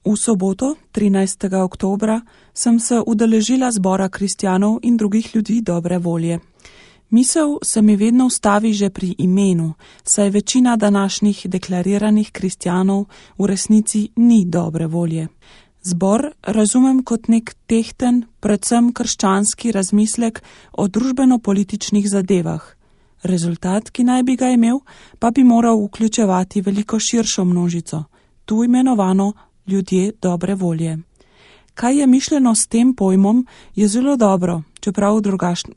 V soboto, 13. oktobra, sem se udeležila zbora kristjanov in drugih ljudi dobre volje. Misel se mi vedno ustavi že pri imenu, saj večina današnjih deklariranih kristjanov v resnici ni dobre volje. Zbor razumem kot nek tehten, predvsem krščanski razmislek o družbeno-političnih zadevah. Rezultat, ki naj bi ga imel, pa bi moral vključevati veliko širšo množico, tu imenovano ljudje dobre volje. Kaj je mišljeno s tem pojmom, je zelo dobro, čeprav v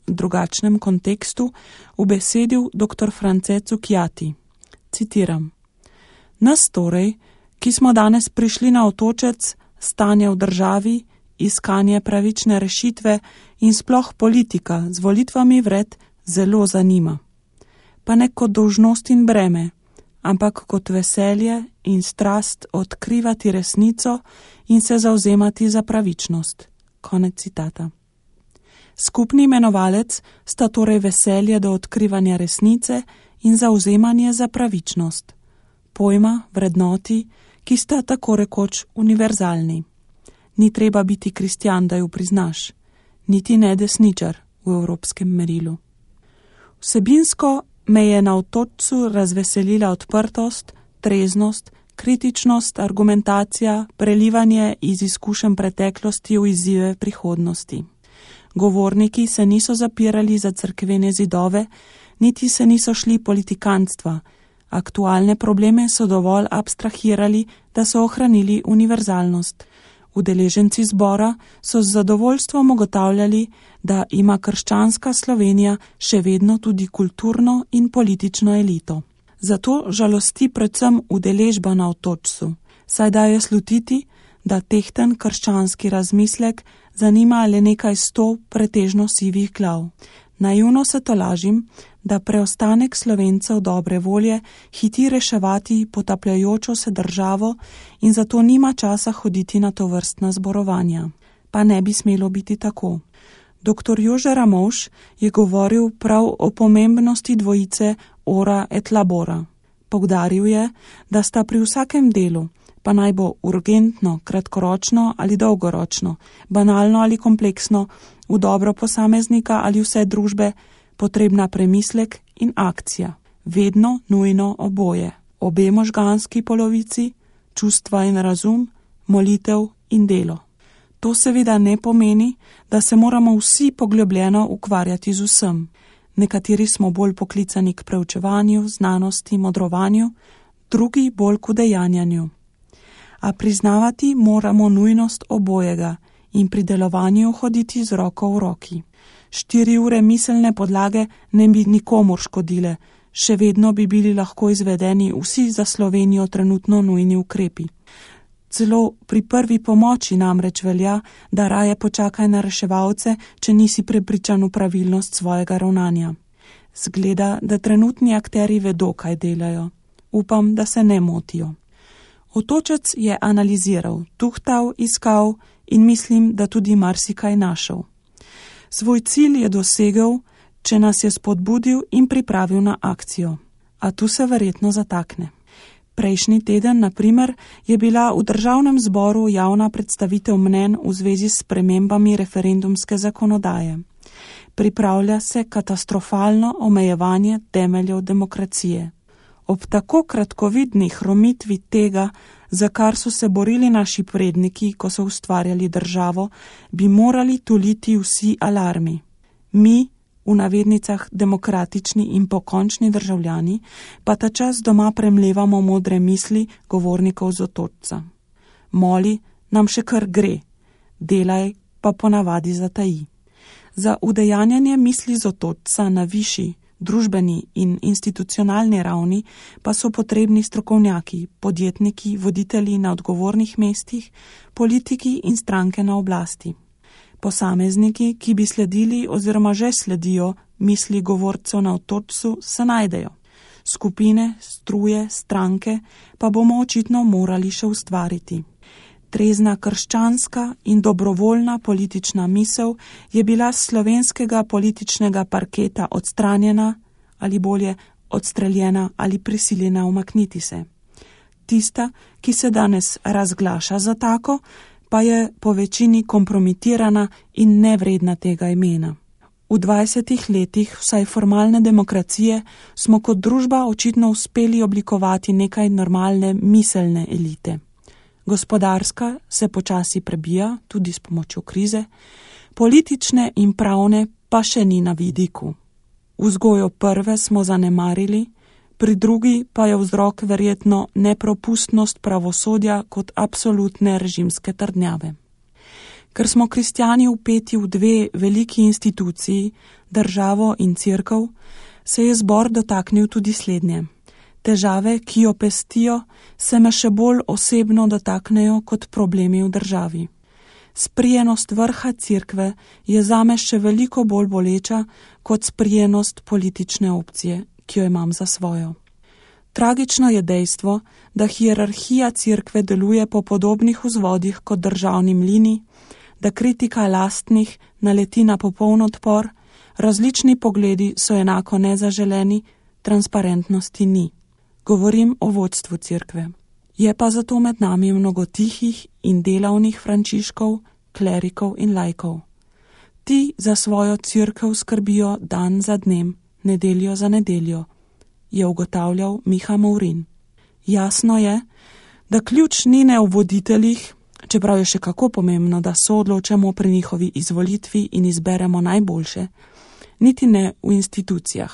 drugačnem kontekstu, ubesedil dr. France Cukjati. Citiram: Nas torej, ki smo danes prišli na otočec, stanje v državi, iskanje pravične rešitve in sploh politika z volitvami vred zelo zanima. Pa ne kot dolžnost in breme, ampak kot veselje in strast odkrivati resnico in se zavzemati za pravičnost. Konec citata. Skupni imenovalec sta torej veselje do odkrivanja resnice in zavzemanje za pravičnost. Pojma, vrednoti, ki sta tako rekoč univerzalni. Ni treba biti kristjan, da ju priznaš, niti ne desničar v evropskem merilu. Vsebinsko me je na otočcu razveselila odprtost, treznost, kritičnost, argumentacija, prelivanje iz izkušenj preteklosti v izzive prihodnosti. Govorniki se niso zapirali za cerkvene zidove, niti se niso šli politikantstva. Aktualne probleme so dovolj abstrahirali, da so ohranili univerzalnost. Udeleženci zbora so z zadovoljstvom ugotavljali, da ima krščanska Slovenija še vedno tudi kulturno in politično elito. Zato žalosti predvsem udeležba na otočcu, saj daje slutiti, da tehten krščanski razmislek zanima le nekaj 100 pretežno sivih glav. Naivno se tolažim, da preostanek Slovencev dobre volje hiti reševati potapljajočo se državo in zato nima časa hoditi na tovrstna zborovanja. Pa ne bi smelo biti tako. Dr. Jože Ramovš je govoril prav o pomembnosti dvojice ora et labora. Poudaril je, da sta pri vsakem delu, pa naj bo urgentno, kratkoročno ali dolgoročno, banalno ali kompleksno, v dobro posameznika ali vse družbe, potrebna premislek in akcija. Vedno nujno oboje. Obe možganski polovici, čustva in razum, molitev in delo. To seveda ne pomeni, da se moramo vsi poglobljeno ukvarjati z vsem. Nekateri smo bolj poklicani k preučevanju, znanosti, modrovanju, drugi bolj k udejanjanju. A priznavati moramo nujnost obojega in pri delovanju hoditi z roko v roki. 4 ure miselne podlage ne bi nikomur škodile, še vedno bi bili lahko izvedeni vsi za Slovenijo trenutno nujni ukrepi. Celo pri prvi pomoči namreč velja, da raje počakaj na reševalce, če nisi prepričan v pravilnost svojega ravnanja. Zgleda, da trenutni akteri vedo, kaj delajo. Upam, da se ne motijo. Otočec je analiziral, tuhtal, iskal in mislim, da tudi marsikaj našel. Svoj cilj je dosegel, če nas je spodbudil in pripravil na akcijo. A tu se verjetno zatakne. Prejšnji teden, na primer, je bila v državnem zboru javna predstavitev mnenj v zvezi s spremembami referendumske zakonodaje. Pripravlja se katastrofalno omejevanje temeljev demokracije. Ob tako kratkovidni hromitvi tega, za kar so se borili naši predniki, ko so ustvarjali državo, bi morali tuliti vsi alarmi. Mi, v navednicah demokratični in pokončni državljani, pa ta čas doma premlevamo modre misli govornikov z otočca. Moli nam še kar gre, delaj pa ponavadi zataji. Za udejanjanje misli z otočca na višji, družbeni in institucionalni ravni pa so potrebni strokovnjaki, podjetniki, voditelji na odgovornih mestih, politiki in stranke na oblasti. Posamezniki, ki bi sledili oziroma že sledijo misli govorcev na otočcu, se najdejo. Skupine, struje, stranke pa bomo očitno morali še ustvariti. Trezna krščanska in dobrovoljna politična misel je bila s slovenskega političnega parketa odstranjena ali bolje odstreljena ali prisiljena umakniti se. tista, ki se danes razglaša za tako, pa je po večini kompromitirana in nevredna tega imena. V 20 letih vsaj formalne demokracije smo kot družba očitno uspeli oblikovati nekaj normalne miselne elite. Gospodarska se počasi prebija, tudi s pomočjo krize, politične in pravne pa še ni na vidiku. Vzgojo prve smo zanemarili, pri drugi pa je vzrok verjetno nepropustnost pravosodja kot absolutne režimske trdnjave. Ker smo kristjani vpeti v dve veliki instituciji, državo in cerkev, se je zbor dotaknil tudi slednje. Težave, ki jo pestijo, se me še bolj osebno dotaknejo kot problemi v državi. Sprijenost vrha cerkve je zame še veliko bolj boleča kot sprijenost politične opcije, ki jo imam za svojo. Tragično je dejstvo, da hierarhija cerkve deluje po podobnih vzvodih kot državni mlini, da kritika lastnih naleti na popoln odpor, različni pogledi so enako nezaželeni, transparentnosti ni. Govorim o vodstvu cerkve. Je pa zato med nami mnogo tihih in delavnih frančiškov, klerikov in laikov. Ti za svojo cerkev skrbijo dan za dnem, nedeljo za nedeljo, je ugotavljal Miha Movrin. Jasno je, da ključ ni ne v voditeljih, čeprav je še kako pomembno, da soodločamo pri njihovi izvolitvi in izberemo najboljše, niti ne v institucijah.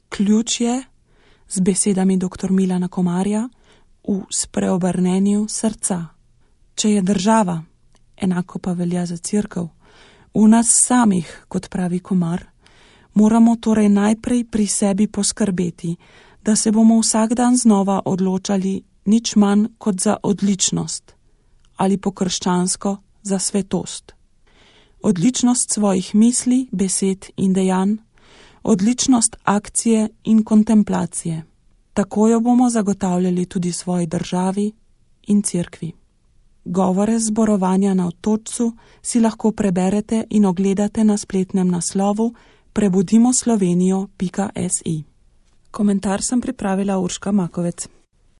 Ključ je, z besedami dr. Milana Komarja, v spreobrnenju srca. Če je država, enako pa velja za cerkev, v nas samih, kot pravi Komar, moramo torej najprej pri sebi poskrbeti, da se bomo vsak dan znova odločali nič manj kot za odličnost ali po krščansko za svetost. Odličnost svojih misli, besed in dejanj, odličnost akcije in kontemplacije. Tako jo bomo zagotavljali tudi svoji državi in cerkvi. Govore zborovanja na Otočcu si lahko preberete in ogledate na spletnem naslovu prebudimoslovenijo.si. Komentar sem pripravila Urška Makovec.